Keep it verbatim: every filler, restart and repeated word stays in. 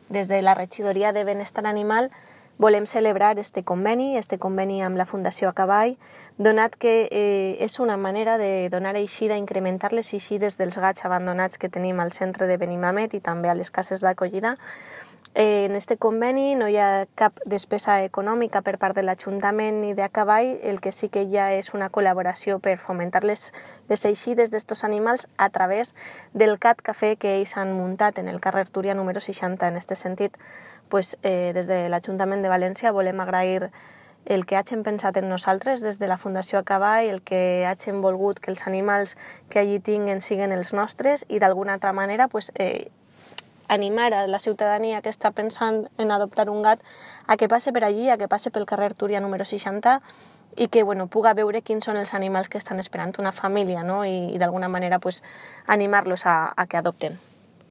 des de la regidoria de benestar animal volem celebrar este conveni, este conveni amb la Fundació A Cavall, donat que eh, és una manera de donar eixida, incrementar les eixides dels gats abandonats que tenim al centre de Benimamet i també a les cases d'acollida. Eh, en este conveni no hi ha cap despesa econòmica per part de l'Ajuntament ni de A Cavall, el que sí que hi ha és una col·laboració per fomentar les, les eixides d'estos animals a través del Cat Cafè que ells han muntat en el carrer Túria número seixanta. En aquest sentit, pues, eh, des de l'Ajuntament de València volem agrair el que hagin pensat en nosaltres des de la Fundació A Cavall, el que hagin volgut que els animals que allí tinguen siguen els nostres i d'alguna altra manera pues, eh, animar a la ciutadania que està pensant en adoptar un gat a que passe per allí, a que passe pel carrer Túria número seixanta i que bueno, puga veure quins són els animals que estan esperant una família, no? I, i d'alguna manera pues, animar-los a, a que adopten.